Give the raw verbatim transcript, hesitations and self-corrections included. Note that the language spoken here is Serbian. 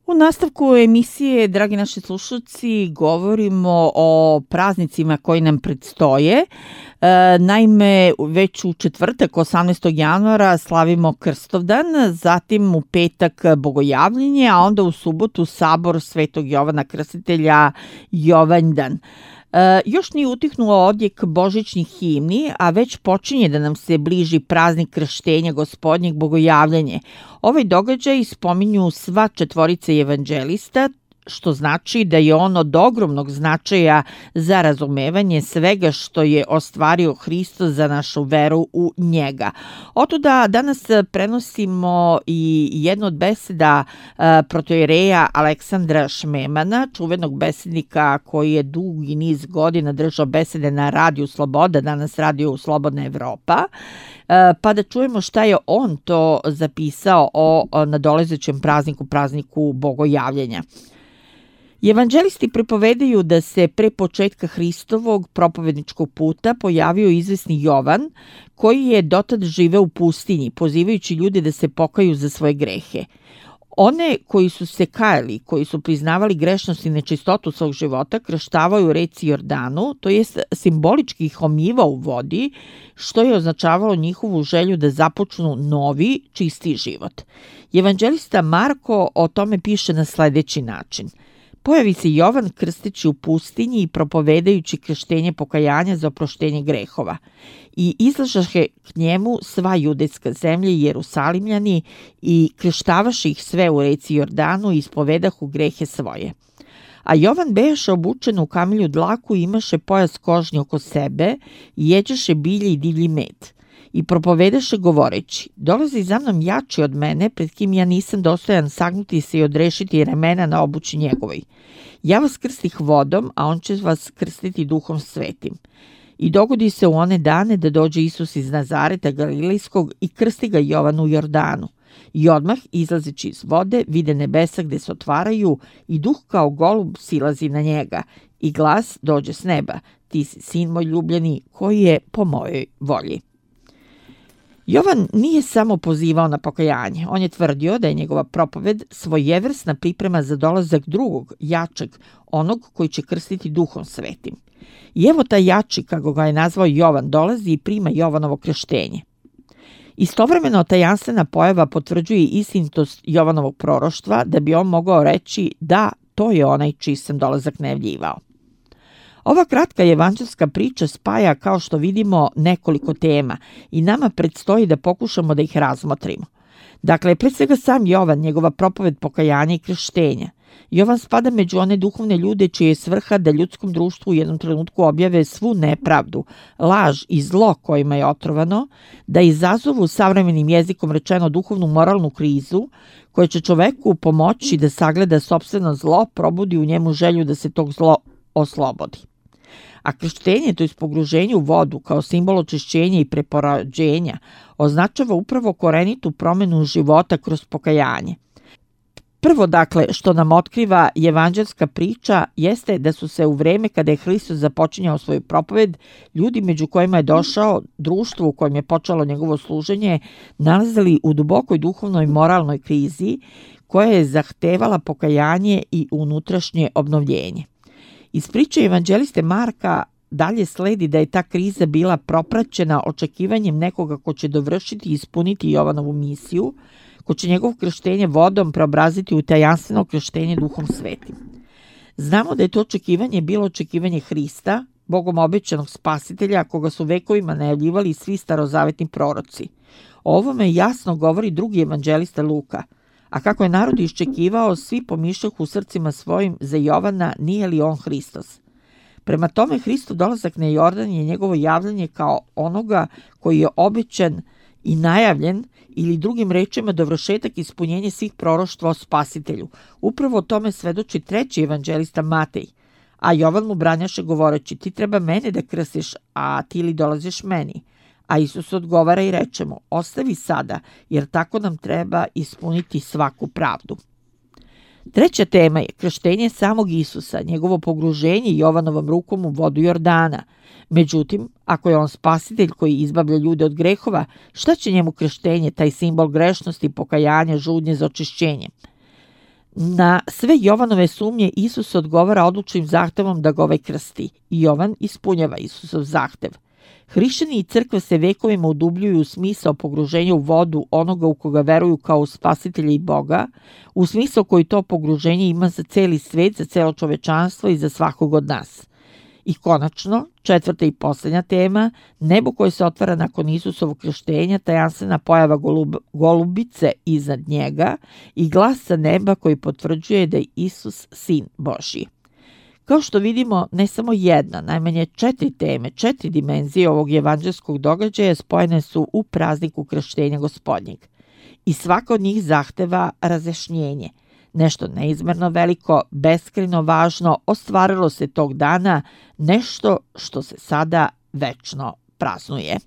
U nastavku emisije, dragi naši slušalci, govorimo o praznicima koji nam predstoje. E, naime, već u četvrtak, osamnaestog januara, slavimo Krstovdan, zatim u petak Bogojavljenje, a onda u subotu Sabor Svetog Jovana Krstitelja Jovanjdan. E, još nije utihnuo odjek božićnih himni, a već počinje da nam se bliži praznik krštenja Gospodnjeg Bogojavljenje. Ovaj događaj spominju sva četvorica evanđelista, što znači da je on od ogromnog značaja za razumevanje svega što je ostvario Hristos za našu veru u njega. Otuda danas prenosimo i jednu od beseda protojereja Aleksandra Šmemana, čuvenog besednika koji je dugi niz godina držao besede na Radiju Sloboda, danas Radio Slobodna Evropa, pa da čujemo šta je on to zapisao o nadolazećem prazniku, prazniku Bogojavljenja. Evanđelisti pripovedaju da se pre početka Hristovog propovedničkog puta pojavio izvesni Jovan, koji je dotad živeo u pustinji, pozivajući ljude da se pokaju za svoje grehe. One koji su se kajali, koji su priznavali grešnost i nečistotu svog života, krštavaju u reci Jordanu, to jest simbolički ih omivao u vodi, što je označavalo njihovu želju da započnu novi, čisti život. Evanđelista Marko o tome piše na sledeći način. Pojavi se Jovan krsteći u pustinji i propovedajući krštenje pokajanja za oproštenje grehova. I izlažaše k njemu sva judejska zemlja i Jerusalimljani i krštavaše ih sve u reci Jordanu i ispovedahu grehe svoje. A Jovan bejaše obučen u kamilju dlaku i imaše pojas kožnji oko sebe i jeđaše bilje i divlji med. I propovedaše govoreći, dolazi za mnom jači od mene, pred kim ja nisam dostojan sagnuti se i odrešiti remena na obući njegovoj. Ja vas krstih vodom, a on će vas krstiti duhom svetim. I dogodi se u one dane da dođe Isus iz Nazareta Galilejskog i krsti ga Jovan u Jordanu. I odmah, izlazeći iz vode, vide nebesa gde se otvaraju i duh kao golub silazi na njega. I glas dođe s neba, ti si sin moj ljubljeni, koji je po mojoj volji. Jovan nije samo pozivao na pokajanje, on je tvrdio da je njegova propoved svojevrsna priprema za dolazak drugog, jačeg, onog koji će krstiti duhom svetim. I evo taj jači, kako ga je nazvao Jovan, dolazi i prima Jovanovo krštenje. Istovremeno tajanstvena pojava potvrđuje istinitost Jovanovog proroštva da bi on mogao reći da, to je onaj čiji sam dolazak najavljivao. Ova kratka evanđelska priča spaja, kao što vidimo, nekoliko tema i nama predstoji da pokušamo da ih razmotrimo. Dakle, pred svega sam Jovan, njegova propoved pokajanja i krštenja. Jovan spada među one duhovne ljude čije je svrha da ljudskom društvu u jednom trenutku objave svu nepravdu, laž i zlo kojima je otrovano, da izazovu savremenim jezikom rečeno duhovnu moralnu krizu, koja će čoveku pomoći da sagleda sopstveno zlo, probudi u njemu želju da se tog zlo oslobodi. A krštenje, to je pogruženje u vodu kao simbol očišćenja i preporađenja, označava upravo korenitu promenu života kroz pokajanje. Prvo, dakle, što nam otkriva evanđelska priča jeste da su se u vreme kada je Hristos započinjao svoju propoved, ljudi među kojima je došao, društvo u kojem je počelo njegovo služenje, nalazili u dubokoj duhovnoj moralnoj krizi koja je zahtevala pokajanje i unutrašnje obnovljenje. Iz priče evanđeliste Marka dalje sledi da je ta kriza bila propraćena očekivanjem nekoga ko će dovršiti i ispuniti Jovanovu misiju, ko će njegovo krštenje vodom preobraziti u tajanstveno krštenje duhom svetim. Znamo da je to očekivanje bilo očekivanje Hrista, Bogom obećanog spasitelja, koga su vekovima najavljivali svi starozavetni proroci. O ovome jasno govori drugi evanđelista Luka. A kako je narod iščekivao, svi pomišljahu u srcima svojim za Jovana, nije li on Hristos. Prema tome, Hristov dolazak na Jordan je njegovo javljanje kao onoga koji je obećan i najavljen, ili drugim rečima dovršetak ispunjenja svih proroštva o spasitelju. Upravo o tome svedoči treći evanđelista Matej. A Jovan mu branjaše govoreći, ti treba mene da krstiš, a ti li dolaziš meni? A Isus odgovara i reče mu, ostavi sada, jer tako nam treba ispuniti svaku pravdu. Treća tema je krštenje samog Isusa, njegovo pogruženje Jovanovom rukom u vodu Jordana. Međutim, ako je on spasitelj koji izbavlja ljude od grehova, šta će njemu krštenje, taj simbol grešnosti, pokajanja, žudnje za očišćenje? Na sve Jovanove sumnje Isus odgovara odlučnim zahtevom da ga ovaj krsti. I Jovan ispunjava Isusov zahtev. Hrišćani i crkva se vekovima udubljuju u smisao pogruženja u vodu onoga u koga veruju kao u spasitelja i Boga, u smisao koji to pogruženje ima za celi svet, za celo čovečanstvo i za svakog od nas. I konačno, četvrta i posljednja tema, nebo koje se otvara nakon Isusovog krštenja, tajanstvena pojava golub, golubice iznad njega i glas sa neba koji potvrđuje da je Isus sin Božji. Kao što vidimo, ne samo jedna, najmanje četiri teme, četiri dimenzije ovog evanđelskog događaja spojene su u prazniku krštenja Gospodnjeg. I svaka od njih zahteva razjašnjenje. Nešto neizmerno veliko, beskrajno važno, ostvarilo se tog dana, nešto što se sada večno praznuje.